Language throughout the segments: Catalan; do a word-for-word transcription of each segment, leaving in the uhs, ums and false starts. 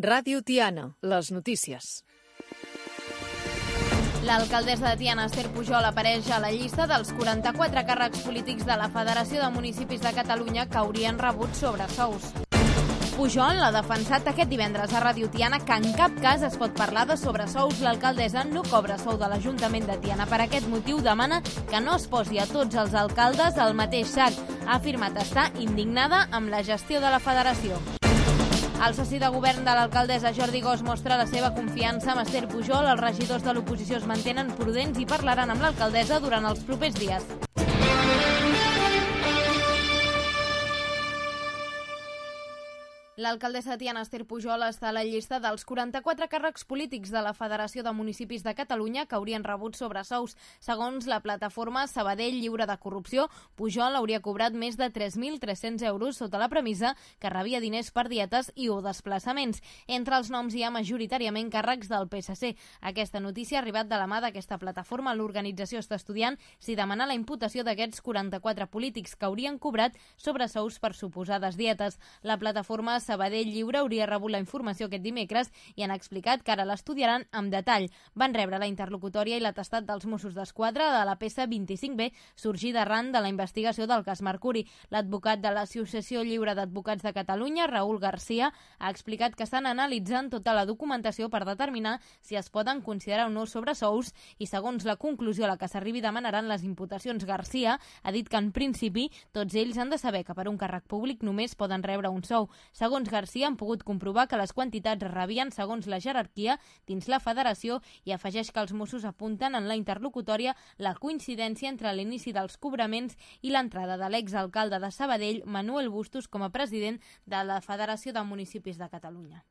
Ràdio Tiana, les notícies. L'alcaldessa de Tiana, Esther Pujol, apareix a la llista dels quaranta-quatre càrrecs polítics de la Federació de Municipis de Catalunya que haurien rebut sobresous. Pujol ha defensat aquest divendres a Ràdio Tiana que en cap cas es pot parlar de sobresous. L'alcaldessa no cobra sou de l'Ajuntament de Tiana. Per aquest motiu demana que no es posi a tots els alcaldes al mateix sac. Ha afirmat estar indignada amb la gestió de la federació. El soci de govern de l'alcaldessa, Jordi Gos, mostra la seva confiança amb Esther Pujol. Els regidors de l'oposició es mantenen prudents i parlaran amb l'alcaldessa durant els propers dies. L'alcaldessa de Tiana, Esther Pujol, està a la llista dels quaranta-quatre càrrecs polítics de la Federació de Municipis de Catalunya que haurien rebut sobresous. Segons la plataforma Sabadell Lliure de Corrupció, Pujol hauria cobrat més de tres mil tres-cents euros sota la premissa que rebia diners per dietes i o desplaçaments. Entre els noms hi ha majoritàriament càrrecs del P S C. Aquesta notícia ha arribat de la mà d'aquesta plataforma. L'organització està estudiant si demanar la imputació d'aquests quaranta-quatre polítics que haurien cobrat sobresous per suposades dietes. La plataforma Sabadell Lliure hauria rebut la informació aquest dimecres i han explicat que ara l'estudiaran amb detall. Van rebre la interlocutòria i l'atestat dels Mossos d'Esquadra de la peça vint-i-cinc B, sorgida arran de la investigació del cas Mercuri. L'advocat de l'Associació Lliure d'Advocats de Catalunya, Raül Garcia, ha explicat que estan analitzant tota la documentació per determinar si es poden considerar o no sobresous i, segons la conclusió a la que s'arribi, demanaran les imputacions. Garcia ha dit que, en principi, tots ells han de saber que per un càrrec públic només poden rebre un sou. Segons Garcia, han pogut comprovar que les quantitats rebien segons la jerarquia dins la federació i afegeix que els Mossos apunten en la interlocutòria la coincidència entre l'inici dels cobraments i l'entrada de l'exalcalde de Sabadell, Manuel Bustos, com a president de la Federació de Municipis de Catalunya.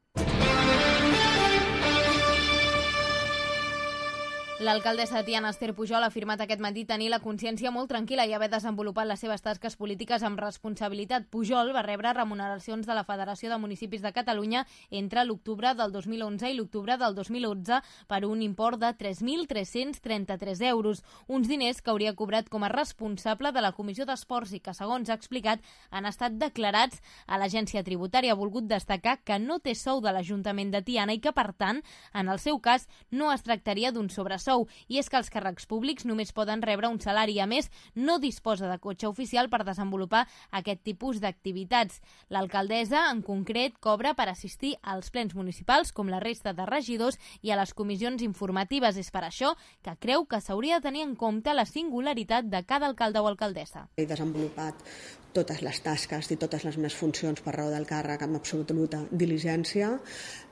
L'alcaldessa de Tiana, Esther Pujol, ha afirmat aquest matí tenir la consciència molt tranquil·la i haver desenvolupat les seves tasques polítiques amb responsabilitat. Pujol va rebre remuneracions de la Federació de Municipis de Catalunya entre l'octubre del dos mil onze i l'octubre del dos mil onze per un import de tres mil tres-cents trenta-tres euros, uns diners que hauria cobrat com a responsable de la Comissió d'Esports i que, segons ha explicat, han estat declarats a l'Agència Tributària. Ha volgut destacar que no té sou de l'Ajuntament de Tiana i que, per tant, en el seu cas, no es tractaria d'un sobresou. I és que els càrrecs públics només poden rebre un salari. A més, no disposa de cotxe oficial per desenvolupar aquest tipus d'activitats. L'alcaldessa, en concret, cobra per assistir als plens municipals, com la resta de regidors, i a les comissions informatives. És per això que creu que s'hauria de tenir en compte la singularitat de cada alcalde o alcaldessa. He desenvolupat totes les tasques i totes les meves funcions per raó del càrrec amb absoluta diligència,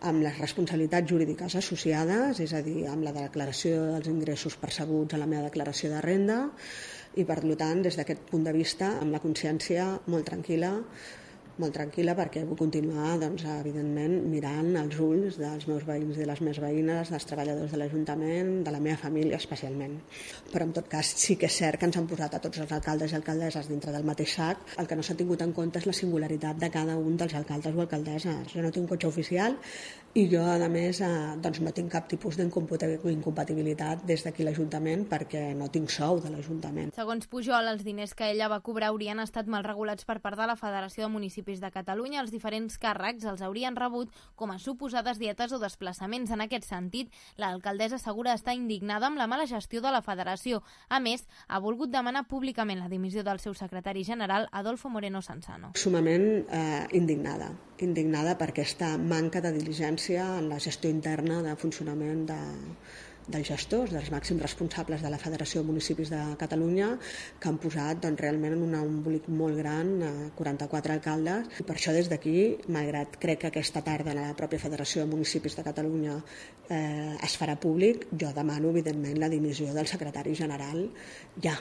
amb les responsabilitats jurídiques associades, és a dir, amb la declaració dels ingressos percebuts a la meva declaració de renda i, per tant, des d'aquest punt de vista, amb la consciència molt tranquil·la, molt tranquil·la perquè vull continuar, doncs, evidentment, mirant els ulls dels meus veïns i de les meves veïnes, dels treballadors de l'Ajuntament, de la meva família especialment. Però, en tot cas, sí que és cert que ens han posat a tots els alcaldes i alcaldesses dintre del mateix sac. El que no s'ha tingut en compte és la singularitat de cada un dels alcaldes o alcaldesses. Jo no tinc cotxe oficial i jo, a més, eh, doncs no tinc cap tipus d'incompatibilitat des d'aquí l'Ajuntament perquè no tinc sou de l'Ajuntament. Segons Pujol, els diners que ella va cobrar haurien estat mal regulats per part de la Federació de Municipis de Catalunya. Els diferents càrrecs els haurien rebut com a suposades dietes o desplaçaments. En aquest sentit, l'alcaldessa assegura estar indignada amb la mala gestió de la federació. A més, ha volgut demanar públicament la dimissió del seu secretari general, Adolfo Moreno Sansano. Sumament eh, indignada. indignada per aquesta manca de diligència en la gestió interna de funcionament de, dels gestors, dels màxims responsables de la Federació de Municipis de Catalunya, que han posat doncs, realment en un embolic molt gran a quaranta-quatre alcaldes. I per això, des d'aquí, malgrat crec que aquesta tarda la pròpia Federació de Municipis de Catalunya eh, es farà públic, jo demano, evidentment, la dimissió del secretari general ja.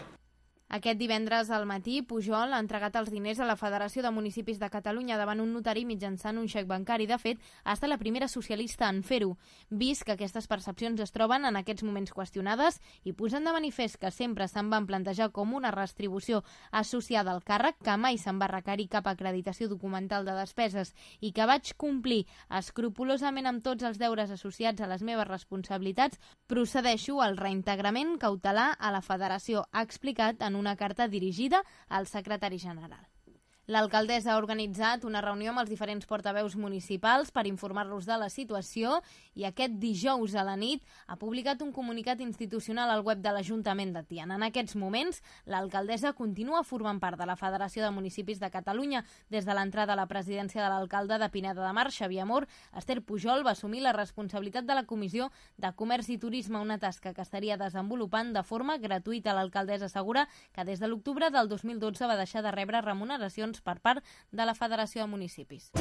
Aquest divendres al matí, Pujol ha entregat els diners a la Federació de Municipis de Catalunya davant un notari mitjançant un xec bancari. De fet, ha estat la primera socialista en fer-ho, vist que aquestes percepcions es troben en aquests moments qüestionades i posen de manifest que sempre se'n van plantejar com una retribució associada al càrrec, que mai se'n va requerir cap acreditació documental de despeses i que vaig complir escrupolosament amb tots els deures associats a les meves responsabilitats, procedeixo al reintegrament cautelar a la Federació, ha explicat en una carta dirigida al secretari general. L'alcaldessa ha organitzat una reunió amb els diferents portaveus municipals per informar-los de la situació i aquest dijous a la nit ha publicat un comunicat institucional al web de l'Ajuntament de Tiana. En aquests moments, l'alcaldessa continua formant part de la Federació de Municipis de Catalunya. Des de l'entrada a la presidència de l'alcalde de Pineda de Mar, Xavier Amor, Esther Pujol va assumir la responsabilitat de la Comissió de Comerç i Turisme, una tasca que estaria desenvolupant de forma gratuïta. L'alcaldessa assegura que des de l'octubre del dos mil dotze va deixar de rebre remuneracions per part de la Federació de Municipis.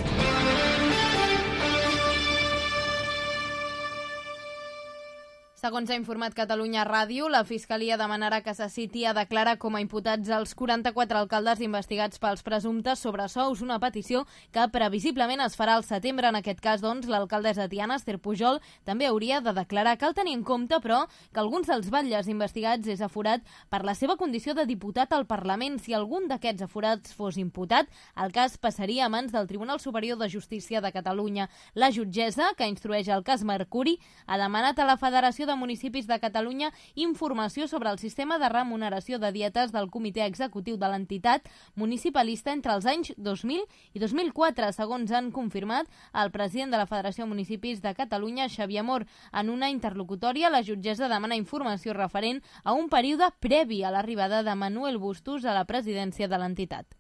Segons ha informat Catalunya Ràdio, la Fiscalia demanarà que se citi a declarar com a imputats els quaranta-quatre alcaldes investigats pels presumptes sobresous, una petició que previsiblement es farà al setembre. En aquest cas, doncs, l'alcaldessa de Tiana, Esther Pujol, també hauria de declarar. Cal tenir en compte, però, que alguns dels batlles investigats és aforat per la seva condició de diputat al Parlament. Si algun d'aquests aforats fos imputat, el cas passaria a mans del Tribunal Superior de Justícia de Catalunya. La jutgessa, que instrueix el cas Mercuri, ha demanat a la Federació de Municipis de Catalunya informació sobre el sistema de remuneració de dietes del comitè executiu de l'entitat municipalista entre els anys dos mil i dos mil quatre, segons han confirmat el president de la Federació de Municipis de Catalunya, Xavier Amor. En una interlocutòria, la jutgessa demana informació referent a un període previ a l'arribada de Manuel Bustos a la presidència de l'entitat.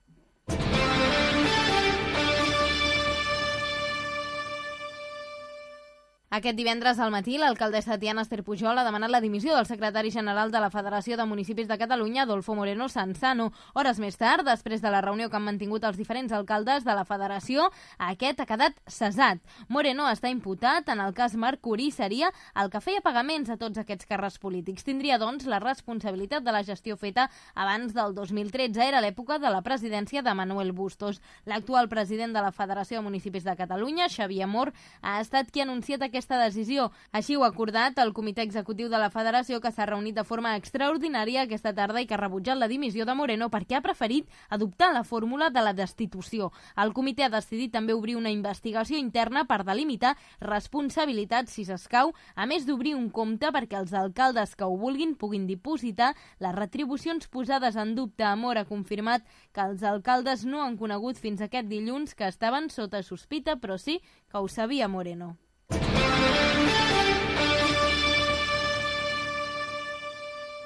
Aquest divendres al matí, l'alcaldessa de Tiana, Esther Pujol, ha demanat la dimissió del secretari general de la Federació de Municipis de Catalunya, Adolfo Moreno Sanzano. Hores més tard, després de la reunió que han mantingut els diferents alcaldes de la Federació, aquest ha quedat cessat. Moreno està imputat en el cas Mercuri, seria el que feia pagaments a tots aquests càrrecs polítics. Tindria, doncs, la responsabilitat de la gestió feta abans del dos mil tretze. Era l'època de la presidència de Manuel Bustos. L'actual president de la Federació de Municipis de Catalunya, Xavier Amor, ha estat qui ha anunciat aquest aquesta decisió. Així ho ha acordat el comitè executiu de la Federació, que s'ha reunit de forma extraordinària aquesta tarda i que ha rebutjat la dimissió de Moreno perquè ha preferit adoptar la fórmula de la destitució. El comitè ha decidit també obrir una investigació interna per delimitar responsabilitats si s'escau, a més d'obrir un compte perquè els alcaldes que ho vulguin puguin dipositar les retribucions posades en dubte. Amor ha confirmat que els alcaldes no han conegut fins aquest dilluns que estaven sota sospita, però sí que ho sabia Moreno.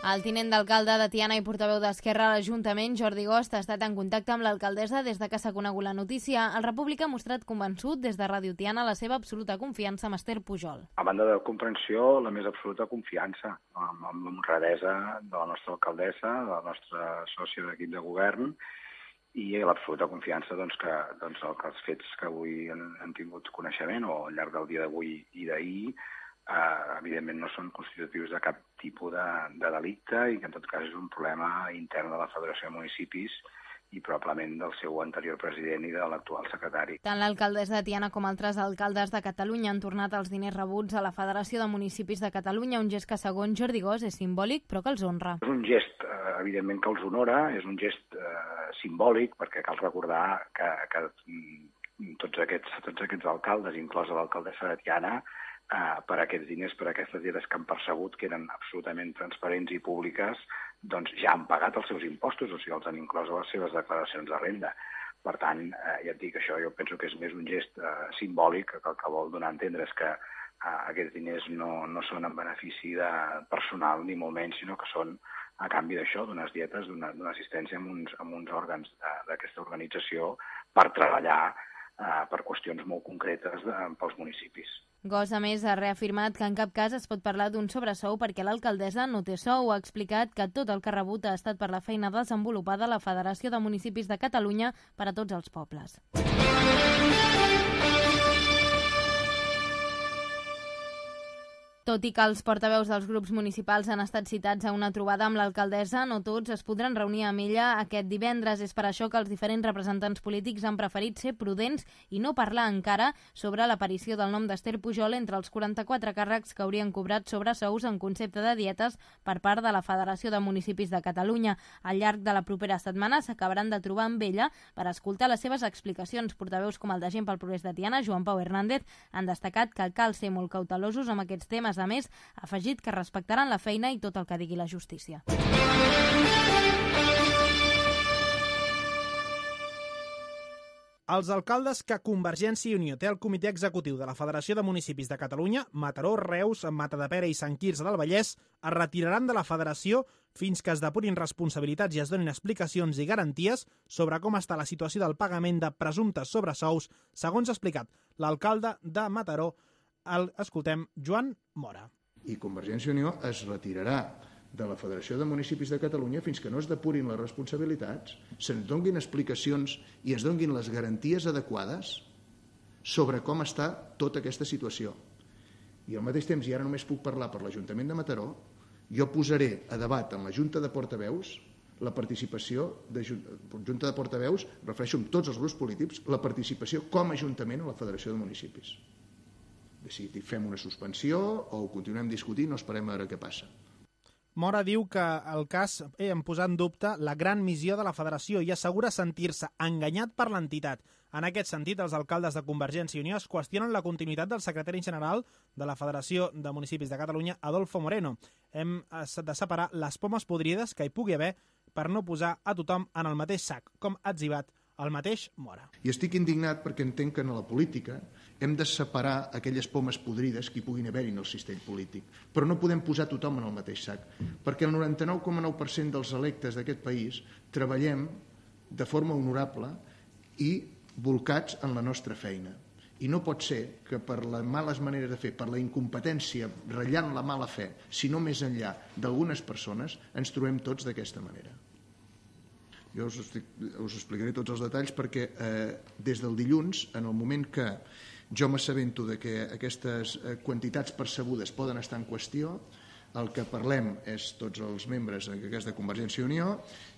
El tinent d'alcalde de Tiana i portaveu d'Esquerra a l'Ajuntament, Jordi Gost, ha estat en contacte amb l'alcaldessa des de que s'ha conegut la notícia. El República ha mostrat convençut des de Ràdio Tiana la seva absoluta confiança amb Esther Pujol. A banda de comprensió, la més absoluta confiança amb, amb l'honradesa de la nostra alcaldessa, de la nostra sòcia d'equip de govern, i l'absoluta confiança doncs, que, doncs, que els fets que avui han, han tingut coneixement o al llarg del dia d'avui i d'ahir eh, evidentment no són constitutius de cap tipus de, de delicte i que en tot cas és un problema intern de la Federació de Municipis i probablement del seu anterior president i de l'actual secretari. Tant l'alcaldessa de Tiana com altres alcaldes de Catalunya han tornat els diners rebuts a la Federació de Municipis de Catalunya, un gest que segons Jordi Gost és simbòlic però que els honra. És un gest, eh, evidentment, que els honora, és un gest eh, simbòlic perquè cal recordar que, que tots, aquests, tots aquests alcaldes, inclosa l'alcaldessa de Tiana, eh, per aquests diners, per aquestes dietes que han percebut, que eren absolutament transparents i públiques, doncs ja han pagat els seus impostos, o sigui, els han inclòs a les seves declaracions de renda. Per tant, eh, ja et dic, això jo penso que és més un gest eh, simbòlic, que el que vol donar a entendre és que eh, aquests diners no, no són en benefici de personal, ni molt menys, sinó que són a canvi d'això, d'unes dietes, d'una assistència amb uns, amb uns òrgans d'aquesta organització per treballar eh, per qüestions molt concretes de, pels municipis. Gost, a més, ha reafirmat que en cap cas es pot parlar d'un sobresou perquè l'alcaldessa no té sou. Ha explicat que tot el que ha rebut ha estat per la feina desenvolupada a la Federació de Municipis de Catalunya per a tots els pobles. Tot i que els portaveus dels grups municipals han estat citats a una trobada amb l'alcaldessa, no tots es podran reunir amb ella aquest divendres. És per això que els diferents representants polítics han preferit ser prudents i no parlar encara sobre l'aparició del nom d'Esther Pujol entre els quaranta-quatre càrrecs que haurien cobrat sobresous en concepte de dietes per part de la Federació de Municipis de Catalunya. Al llarg de la propera setmana s'acabaran de trobar amb ella per escoltar les seves explicacions. Portaveus com el de Gent pel Progrés de Tiana, Joan Pau Hernández, han destacat que cal ser molt cautelosos amb aquests temes. A més, ha afegit que respectaran la feina i tot el que digui la justícia. Els alcaldes que Convergència i Unió té al Comitè Executiu de la Federació de Municipis de Catalunya, Mataró, Reus, Matadepera i Sant Quirze del Vallès, es retiraran de la federació fins que es depurin responsabilitats i es donin explicacions i garanties sobre com està la situació del pagament de presumptes sobresous, segons ha explicat l'alcalde de Mataró. El escoltem, Joan Mora. I Convergència i Unió es retirarà de la Federació de Municipis de Catalunya fins que no es depurin les responsabilitats, se'ns donguin explicacions i es donguin les garanties adequades sobre com està tota aquesta situació. I al mateix temps, i ara només puc parlar per l'Ajuntament de Mataró, jo posaré a debat en la Junta de Portaveus la participació de Junta de Portaveus, refereixo amb tots els grups polítics, la participació com a Ajuntament a la Federació de Municipis. Si fem una suspensió o ho continuem discutint o esperem a veure què passa. Mora diu que el cas eh, en posar en dubte la gran missió de la federació i assegura sentir-se enganyat per l'entitat. En aquest sentit, els alcaldes de Convergència i Unió es qüestionen la continuïtat del secretari general de la Federació de Municipis de Catalunya, Adolfo Moreno. Hem de separar les pomes podrides que hi pugui haver per no posar a tothom en el mateix sac, com ha etzibat el mateix Mora. I estic indignat perquè entenc que en la política hem de separar aquelles pomes podrides que hi puguin haver-hi en el cistell polític, però no podem posar tothom en el mateix sac, perquè el noranta-nou coma nou per cent dels electes d'aquest país treballem de forma honorable i volcats en la nostra feina. I no pot ser que per les males maneres de fer, per la incompetència, ratllant la mala fe, sinó més enllà d'algunes persones, ens trobem tots d'aquesta manera. Jo us, estic, us explicaré tots els detalls perquè eh, des del dilluns, en el moment que jo m'assabento de que aquestes quantitats percebudes poden estar en qüestió, el que parlem és tots els membres en aquest cas de Convergència i Unió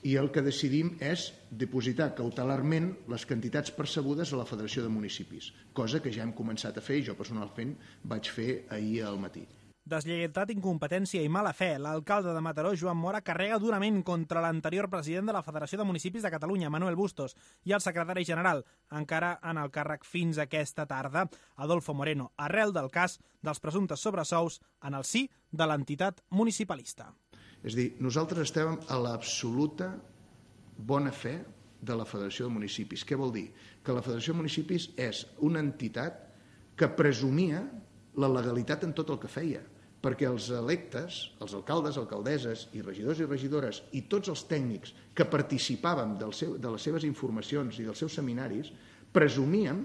i el que decidim és dipositar cautelarment les quantitats percebudes a la Federació de Municipis, cosa que ja hem començat a fer i jo personalment vaig fer ahir al matí. Deslleialtat, incompetència i mala fe. L'alcalde de Mataró, Joan Mora, carrega durament contra l'anterior president de la Federació de Municipis de Catalunya, Manuel Bustos, i el secretari general, encara en el càrrec fins aquesta tarda, Adolfo Moreno, arrel del cas dels presumptes sobresous en el si de l'entitat municipalista. És a dir, nosaltres estem a l'absoluta bona fe de la Federació de Municipis. Què vol dir? Que la Federació de Municipis és una entitat que presumia la legalitat en tot el que feia, perquè els electes, els alcaldes, alcaldesses i regidors i regidores i tots els tècnics que participàvem del seu, de les seves informacions i dels seus seminaris, presumíem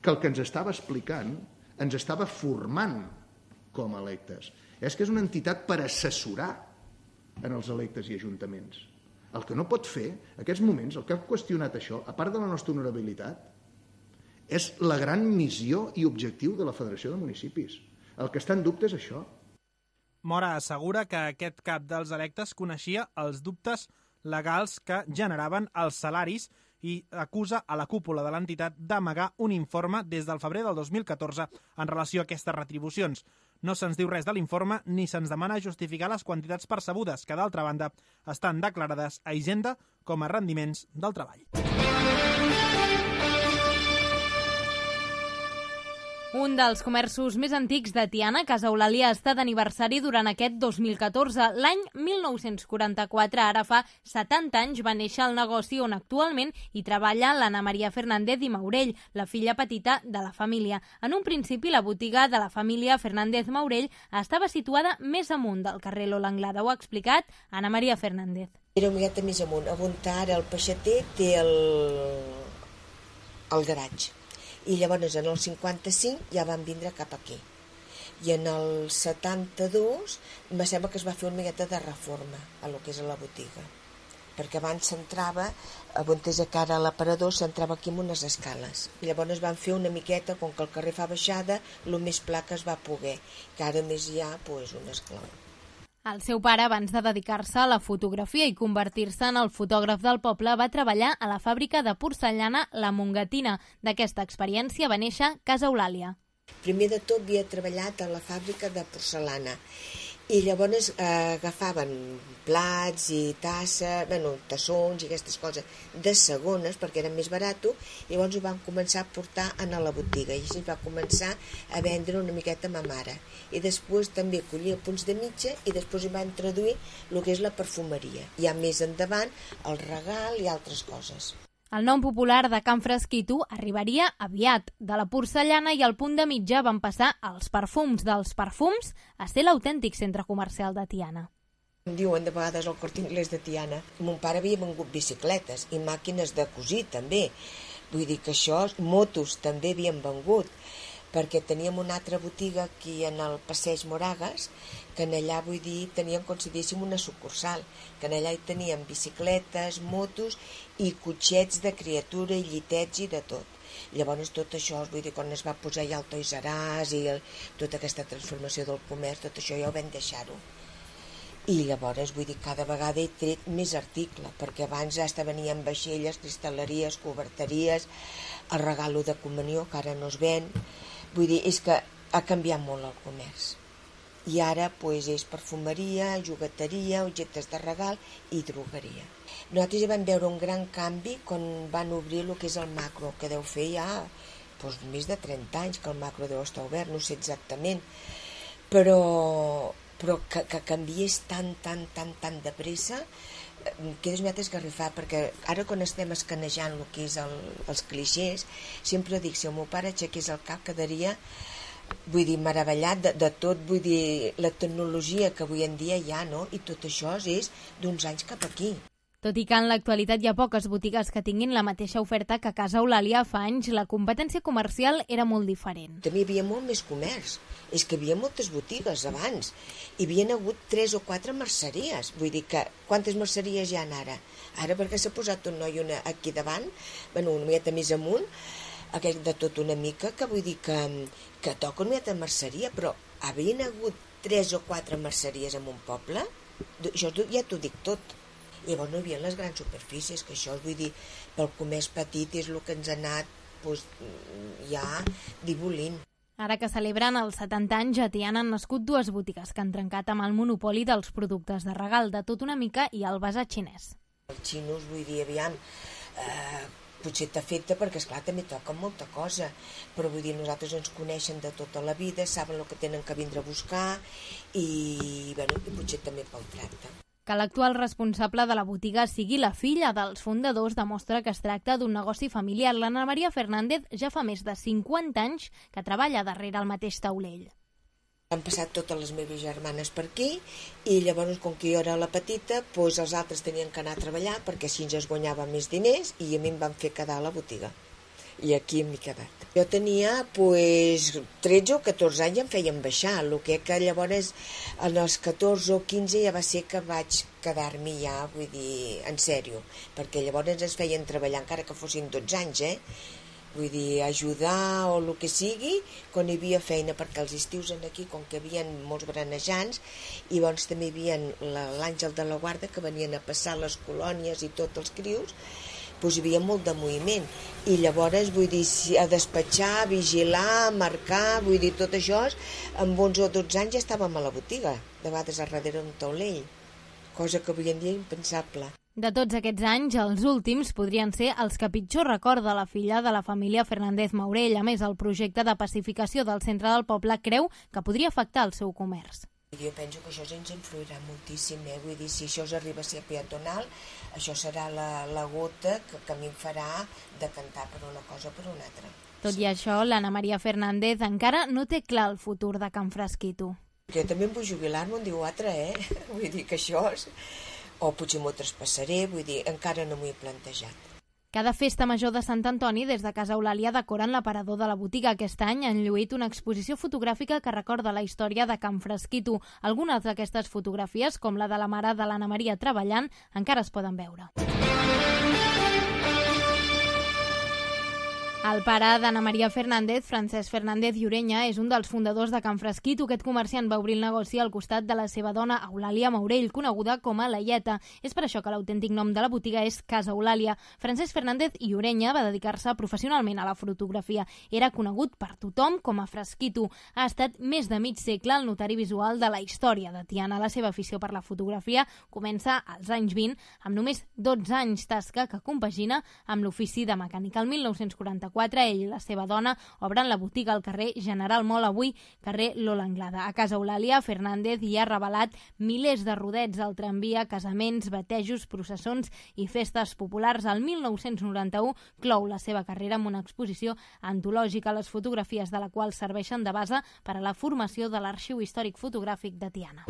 que el que ens estava explicant ens estava formant com a electes. És que és una entitat per assessorar en els electes i ajuntaments. El que no pot fer, en aquests moments, el que ha qüestionat això, a part de la nostra honorabilitat, és la gran missió i objectiu de la Federació de Municipis. El que està en dubte és això. Mora assegura que aquest cap dels electes coneixia els dubtes legals que generaven els salaris i acusa a la cúpula de l'entitat d'amagar un informe des del febrer del dos mil catorze en relació a aquestes retribucions. No se'ns diu res de l'informe ni se'ns demana justificar les quantitats percebudes, que d'altra banda estan declarades a Hisenda com a rendiments del treball. Un dels comerços més antics de Tiana, Casa Eulàlia, està d'aniversari durant aquest dos mil catorze. L'any mil nou-cents quaranta-quatre, ara fa setanta anys, va néixer el negoci on actualment hi treballa l'Anna Maria Fernández i Maurell, la filla petita de la família. En un principi, la botiga de la família Fernández Maurell estava situada més amunt del carrer Lola Anglada. Ho ha explicat Anna Maria Fernández. Era una miqueta més amunt. On ara el peixater té el, el garatge. I llavors en el cinquanta-cinc ja van vindre cap aquí. I en el setanta-dos em sembla que es va fer una miqueta de reforma a lo que és a la botiga. Perquè abans s'entrava, on és a cara a l'aparador, s'entrava aquí amb unes escales. I llavors van fer una miqueta, com que el carrer fa baixada, el més pla que es va poder. Que ara més hi ha, doncs, un esclau. El seu pare, abans de dedicar-se a la fotografia i convertir-se en el fotògraf del poble, va treballar a la fàbrica de porcellana La Mongatina. D'aquesta experiència va néixer Casa Eulàlia. Primer de tot havia treballat a la fàbrica de porcellana i llavors eh, agafaven plats i tasses, bueno, tassons i aquestes coses de segones perquè eren més barato i llavors ho van començar a portar a la botiga i així va començar a vendre una miqueta a ma mare. I després també collia punts de mitja i després hi van traduir el que és la perfumeria. I ja més endavant el regal i altres coses. El nom popular de Can Fresquito arribaria aviat. De la porcellana i el punt de mitja van passar als perfums dels perfums a ser l'autèntic centre comercial de Tiana. Em diuen de vegades el Corte Inglés de Tiana. Mon pare havia vengut bicicletes i màquines de cosir també. Vull dir que això, motos també havien vengut, perquè teníem una altra botiga aquí en el Passeig Moragas, que en allà, vull dir, teníem com si diguéssim una sucursal, que en allà hi teníem bicicletes, motos i cotxets de criatura i llitets i de tot. Llavors tot això, vull dir, quan es va posar ja el Toys R Us i el, tota aquesta transformació del comerç, tot això ja ho vam deixar-ho. I llavors, vull dir, cada vegada he tret més article, perquè abans hasta venien vaixelles, cristal·leries, coberteries, el regalo de comunió, que ara no es ven. Vull dir, és que ha canviat molt el comerç. I ara pues, és perfumeria, jugueteria, objectes de regal i drogueria. Nosaltres ja vam veure un gran canvi quan van obrir el que és el Macro, que deu fer ja pues, més de trenta anys que el Macro deu estar obert, no sé exactament, però, però que, que canviés tan, tan, tan, tan de pressa, quedes una esgarrifat, perquè ara quan estem escanejant el que és el, els clixés, sempre dic, si el meu pare aixequés el cap quedaria, vull dir, meravellat de, de tot, vull dir, la tecnologia que avui en dia hi ha, no? I tot això és d'uns anys cap aquí. Tot i que en l'actualitat hi ha poques botigues que tinguin la mateixa oferta que a Casa Eulàlia fa anys, la competència comercial era molt diferent. També hi havia molt més comerç. És que hi havia moltes botigues abans. Hi havia hagut tres o quatre merceries. Vull dir que quantes merceries hi ha ara? Ara perquè s'ha posat un noi una aquí davant, bueno, una miqueta més amunt, aquest de tot una mica, que vull dir que, que toca una miqueta de merceria, però havien hagut tres o quatre merceries en un poble, això ja t'ho dic tot. Llavors no hi havia les grans superfícies, que això, vull dir, pel comerç petit és el que ens ha anat doncs, ja dibolint. Ara que celebren els setanta anys, a Tiana han nascut dues botigues que han trencat amb el monopoli dels productes de regal, de tot una mica i el basar xinès. Els xinos, vull dir, aviam, eh, potser t'afecta perquè, esclar, també toquen molta cosa, però vull dir, nosaltres ens coneixen de tota la vida, saben el que tenen que vindre a buscar i, bueno, i potser també pel tracte. Que l'actual responsable de la botiga sigui la filla dels fundadors demostra que es tracta d'un negoci familiar. L'Anna Maria Fernández ja fa més de cinquanta anys que treballa darrere el mateix taulell. Han passat totes les meves germanes per aquí i llavors, com que jo era la petita, doncs els altres tenien que anar a treballar perquè així ens guanyava més diners i a mi em van fer quedar a la botiga. I aquí m'he quedat. Jo tenia pues, tretze o catorze anys i em feien baixar, el que que llavors en els catorze o quinze ja va ser que vaig quedar-m'hi ja, vull dir, en sèrio, perquè llavors ens feien treballar encara que fossin dotze anys, eh? Vull dir, ajudar o el que sigui, quan hi havia feina, perquè els estius aquí, com que hi havia molts berenejants, i llavors també hi havia l'Àngel de la Guarda que venien a passar les colònies i tots els crius, doncs hi havia molt de moviment i llavors, vull dir, a despatxar, vigilar, marcar, vull dir, tot això, amb onze o dotze anys ja estàvem a la botiga, de vegades a darrere d'un taulell, cosa que avui en dia impensable. De tots aquests anys, els últims podrien ser els que pitjor recorda la filla de la família Fernández Maurell. A més, el projecte de pacificació del centre del poble creu que podria afectar el seu comerç. Jo penso que això ens influirà moltíssim, eh? Vull dir, si això arriba a ser peatonal, això serà la, la gota que, que a mi em farà decantar per una cosa o per una altra. Tot i això, l'Anna Maria Fernández encara no té clar el futur de Can Fresquito. Jo també em vull jubilar-me un dia o altre, eh? Vull dir que això... És... O potser m'ho traspassaré, vull dir, encara no m'ho he plantejat. Cada festa major de Sant Antoni, des de Casa Eulàlia, decoren l'aparador de la botiga. Aquest any han lluït una exposició fotogràfica que recorda la història de Can Fresquito. Algunes d'aquestes fotografies, com la de la mare de l'Anna Maria treballant, encara es poden veure. El pare d'Anna Maria Fernández, Francesc Fernández Llorenya, és un dels fundadors de Can Fresquito. Aquest comerciant va obrir el negoci al costat de la seva dona, Eulàlia Maurell, coneguda com a Laieta. És per això que l'autèntic nom de la botiga és Casa Eulàlia. Francesc Fernández Llorenya va dedicar-se professionalment a la fotografia. Era conegut per tothom com a Fresquito. Ha estat més de mig segle el notari visual de la història de Tiana. La seva afició per la fotografia comença als anys vint, amb només dotze anys, tasca que compagina amb l'ofici de mecànic. El mil nou-cents quaranta-quatre quaranta-quatre. Ell i la seva dona obren la botiga al carrer General Moll, avui carrer Lola Anglada. A Casa Eulàlia, Fernández hi ha revelat milers de rodets al tramvia, casaments, batejos, processons i festes populars. El mil nou-cents noranta-u clou la seva carrera amb una exposició antològica, les fotografies de la qual serveixen de base per a la formació de l'Arxiu Històric Fotogràfic de Tiana.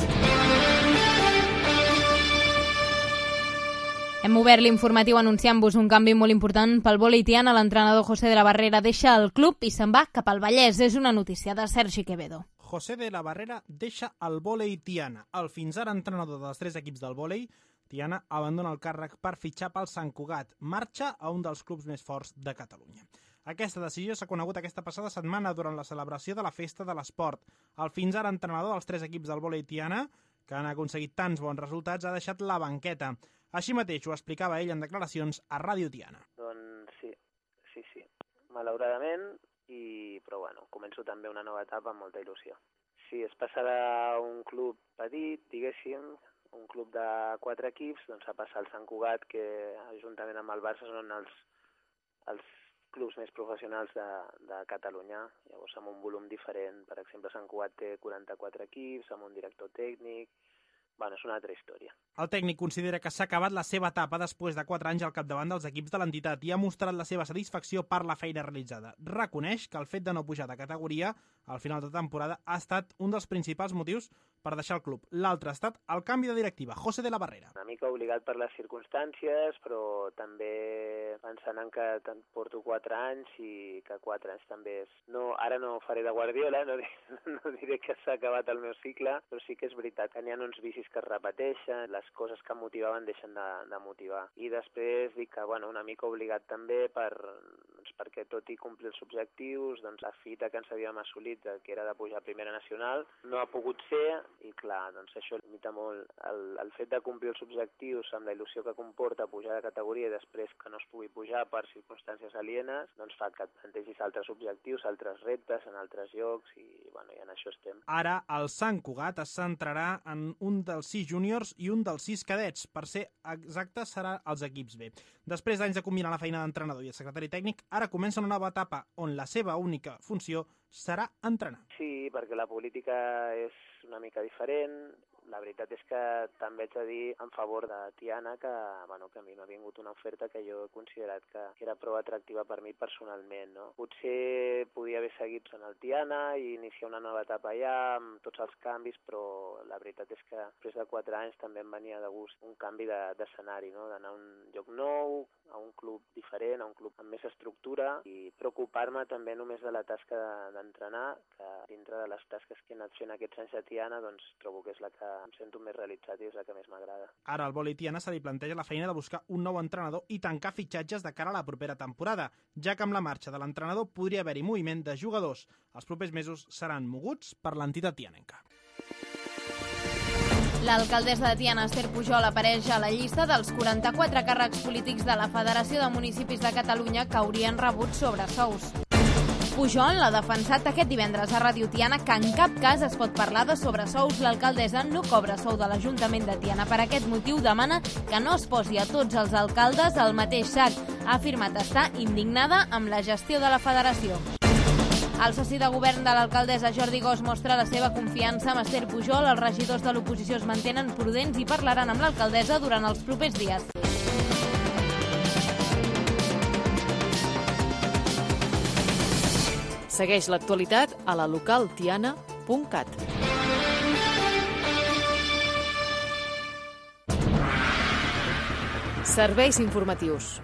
Hem obert l'informatiu anunciant-vos un canvi molt important pel vòlei Tiana. L'entrenador José de la Barrera deixa el club i se'n va cap al Vallès. És una notícia de Sergi Quevedo. José de la Barrera deixa el vòlei Tiana. El fins ara entrenador dels tres equips del vòlei, Tiana abandona el càrrec per fitxar pel Sant Cugat. Marxa a un dels clubs més forts de Catalunya. Aquesta decisió s'ha conegut aquesta passada setmana durant la celebració de la Festa de l'Esport. El fins ara entrenador dels tres equips del vòlei Tiana, que han aconseguit tants bons resultats, ha deixat la banqueta. Així mateix ho explicava ell en declaracions a Ràdio Tiana. Doncs sí, sí, sí. Malauradament, i... però bueno, començo també una nova etapa amb molta il·lusió. Si es passarà a un club petit, diguéssim, un club de quatre equips, doncs a passar al Sant Cugat, que juntament amb el Barça són els, els clubs més professionals de, de Catalunya. Llavors, amb un volum diferent. Per exemple, Sant Cugat té quaranta-quatre equips, amb un director tècnic. Bueno, és una altra història. El tècnic considera que s'ha acabat la seva etapa després de quatre anys al capdavant dels equips de l'entitat i ha mostrat la seva satisfacció per la feina realitzada. Reconeix que el fet de no pujar de categoria al final de temporada ha estat un dels principals motius per deixar el club. L'altre ha estat el canvi de directiva, José de la Barrera. Una mica obligat per les circumstàncies, però també pensant en que porto quatre anys i que quatre anys també és... No, ara no faré de Guardiola, no, no diré que s'ha acabat el meu cicle, però sí que és veritat que n'hi ha uns vicis que es repeteixen, les coses que motivaven deixen de, de motivar. I després dic que, bueno, una mica obligat també per, doncs, perquè tot i complir els objectius, doncs la fita que ens havíem assolit, que era de pujar a Primera Nacional, no ha pogut ser, i clar, doncs això limita molt. El, el fet de complir els objectius amb la il·lusió que comporta pujar de categoria i després que no es pugui pujar per circumstàncies alienes, doncs fa que et plantegis altres objectius, altres reptes en altres llocs i, bueno, i en això estem. Ara el Sant Cugat es centrarà en un dels sis júniors i un dels sis cadets. Per ser exacte, serà els equips B. Després d'anys de combinar la feina d'entrenador i el secretari tècnic, ara comença una nova etapa on la seva única funció serà entrenar. Sí, perquè la política és una mica diferent. La veritat és que també haig de dir en favor de Tiana que, bueno, que a mi m'ha vingut una oferta que jo he considerat que, que era prou atractiva per mi personalment. No? Potser podia haver seguit en el Tiana i iniciar una nova etapa allà amb tots els canvis, però la veritat és que després de quatre anys també em venia de gust un canvi d'escenari, no? D'anar a un lloc nou, a un club diferent, a un club amb més estructura i preocupar-me també només de la tasca d'entrenar, que dintre de les tasques que he anat fent aquests anys a Tiana, doncs trobo que és la que em sento més realitzat i és la que més m'agrada. Ara el vòlei Tiana se li planteja la feina de buscar un nou entrenador i tancar fitxatges de cara a la propera temporada, ja que amb la marxa de l'entrenador podria haver-hi moviment de jugadors. Els propers mesos seran moguts per l'entitat tianenca. L'alcaldessa de Tiana, Esther Pujol, apareix a la llista dels quaranta-quatre càrrecs polítics de la Federació de Municipis de Catalunya que haurien rebut sobresous. Pujol l'ha defensat aquest divendres a Ràdio Tiana que en cap cas es pot parlar de sobresous. L'alcaldessa no cobra sou de l'Ajuntament de Tiana. Per aquest motiu demana que no es posi a tots els alcaldes al mateix sac. Ha afirmat estar indignada amb la gestió de la federació. El soci de govern de l'alcaldessa, Jordi Gos, mostra la seva confiança amb Esther Pujol. Els regidors de l'oposició es mantenen prudents i parlaran amb l'alcaldessa durant els propers dies. Segueix l'actualitat a la local tiana punt cat. Serveis informatius.